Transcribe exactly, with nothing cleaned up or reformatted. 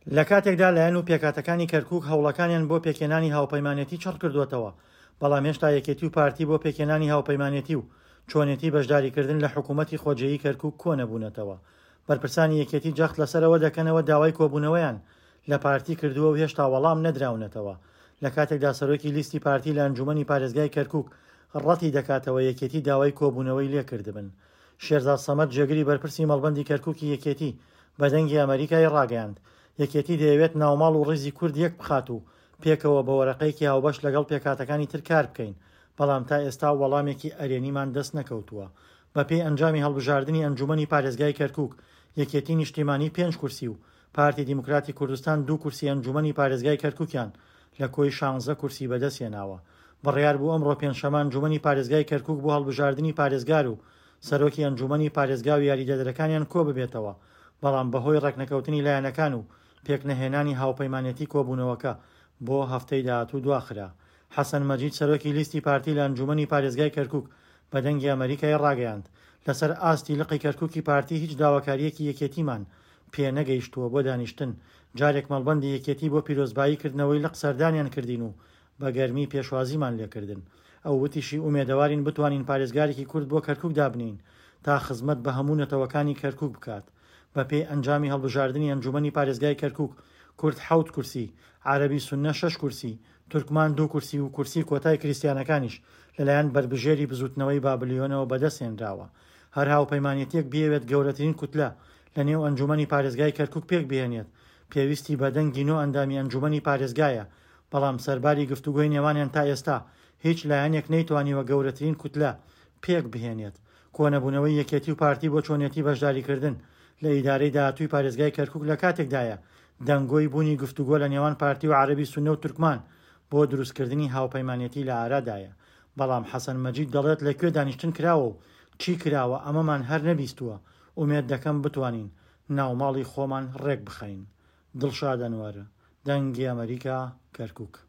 لە کاتێکدا لایەن و پێکهاتەکانی کەرکوک هەوڵەکانیان بۆ پێکهێنانی هاوپەیمانێتی چڕ کردووەتەوە، بەڵام هێشتا یەکێتی و پارتی بۆ پێکهێنانی هاوپەیمانێتی و چۆنێتی بەشداریکردن لە حکوومەتی خۆجێیی کەرکوک کۆنەبوونەتەوە. بەرپرسانی یەکێتی جەخت لەسەر ئەوە دەکەنەوە داوای کۆبوونەوەیان لە پارتی کردووە و هێشتا وەڵام نەدراونەتەوە. لە کاتێکدا سەرۆکی لیستی پارتی لە ئەنجوومەنی پارێزگای کەرکوک ڕەتی دەکاتەوە یەکێتی داوای کۆبوونەوەی لێکردبن. شێرزاد سەمەد جێگری بەرپرسی مەڵبەندی کەرکوکی یەکێتی بە دەنگی ئەمەریکای ڕاگەیاند، یەکێتی دەیەوێت ناوماڵ و ڕیزی کورد یەک بخات و پێکەوە بە وەرەقەیەکی هاوبەش لەگەڵ پێکهاتەکانی تر کار بکەین، بەڵام تا ئێستا وەڵامێکی ئەرێنیمان دەست نەکەوتووە. بەپێی ئەنجامی هەڵبژاردنی ئەنجوومەنی پارێزگای کەرکوک، یەکێتی نیشتیمانی پێنج کورسی و پارتی دیموکراتی کوردستان دوو کورسی ئەنجوومەنی پارێزگای کەرکوکیان لە کۆی شانزە کورسی بەدەستهێناوە. بڕیار بوو ئەمڕۆ پێنجشەممە ئەنجوومەنی پارێزگای کەرکوک بۆ هەڵبژاردنی پارێزگار و سەرۆکی ئەنجوومەنی پارێزگا و یاریدەدەرەکانیان کۆببێتەوە، بەڵام بەهۆی ڕێکنەکەوتنی لایەنەکان و پێکنەهێنانی هاوپەیمانێتی کۆبوونەوەکە بۆ هەفتەی داهاتوو دواخرا. حەسەن مەجید سەرۆکی لیستی پارتی لە ئەنجوومەنی پارێزگای کەرکوک بە دەنگی ئەمەریکای ڕاگەیاند، لەسەر ئاستی لقی کەرکوکی پارتی هیچ داواکارییەکی یەکێتیمان پێنەگەیشتووە بۆ دانیشتن، جارێک مەڵبەندی یەکێتی بۆ پیرۆزبایی کردنەوەی لق سەردانیان کردین و بە گەرمی پێشوازیمان لێکردن. ئەو وتیشی ئومێدەوارین بتوانین پارێزگارێکی کورد بۆ کەرکوک دابنێین تا خزمەت بە هەموو نەتەوەکانی کەرکوک بکات. بەپێی ئەنجامی هەڵبژاردنی ئەنجوومەنی پارێزگای کەرکوک، کورد حەوت کورسی، عەرەبی سوننە شەش کورسی، تورکمان دوو کورسی و کورسی کۆتای کریستیانەکانیش لەلایەن بەربژێری بزووتنەوەی بابلیۆنەوە بەدەستهێنراوە. هەر هاوپەیمانێتییەک بیەوێت گەورەترین کوتلە لەنێو ئەنجوومەنی پارێزگای کەرکوک پێکبهێنێت، پێویستی بە دەنگی نۆ ئەندامی ئەنجوومەنی پارێزگایە، بەڵام سەرباری گفتوگۆی نێوانیان تا ئێستا هیچ لایەنێک نەیتوانیوە گەورەترین کوتلە پێکبهێنێت. کۆنەبوونەوەی یەکێتی و پارتی بۆ چۆنێتی بەشداریکردن لە ئیدارەی داهاتووی پارێزگای کەرکوک لە کاتێکدایە دەنگۆی بوونی گفتوگۆ لە نێوان پارتی و عەرەبی سوننە و تورکمان بۆ دروستکردنی هاوپەیمانێتی لە ئارادایە، بەڵام حەسەن مەجید دەڵێت لە کوێ دانیشتن کراوە و چی کراوە ئەمەمان هەر نەبیستووە، ئومێد دەکەم بتوانین ناوماڵی خۆمان ڕێکبخەین. دڵشاد ئەنوەر، دەنگی ئەمەریکا، کەرکوک.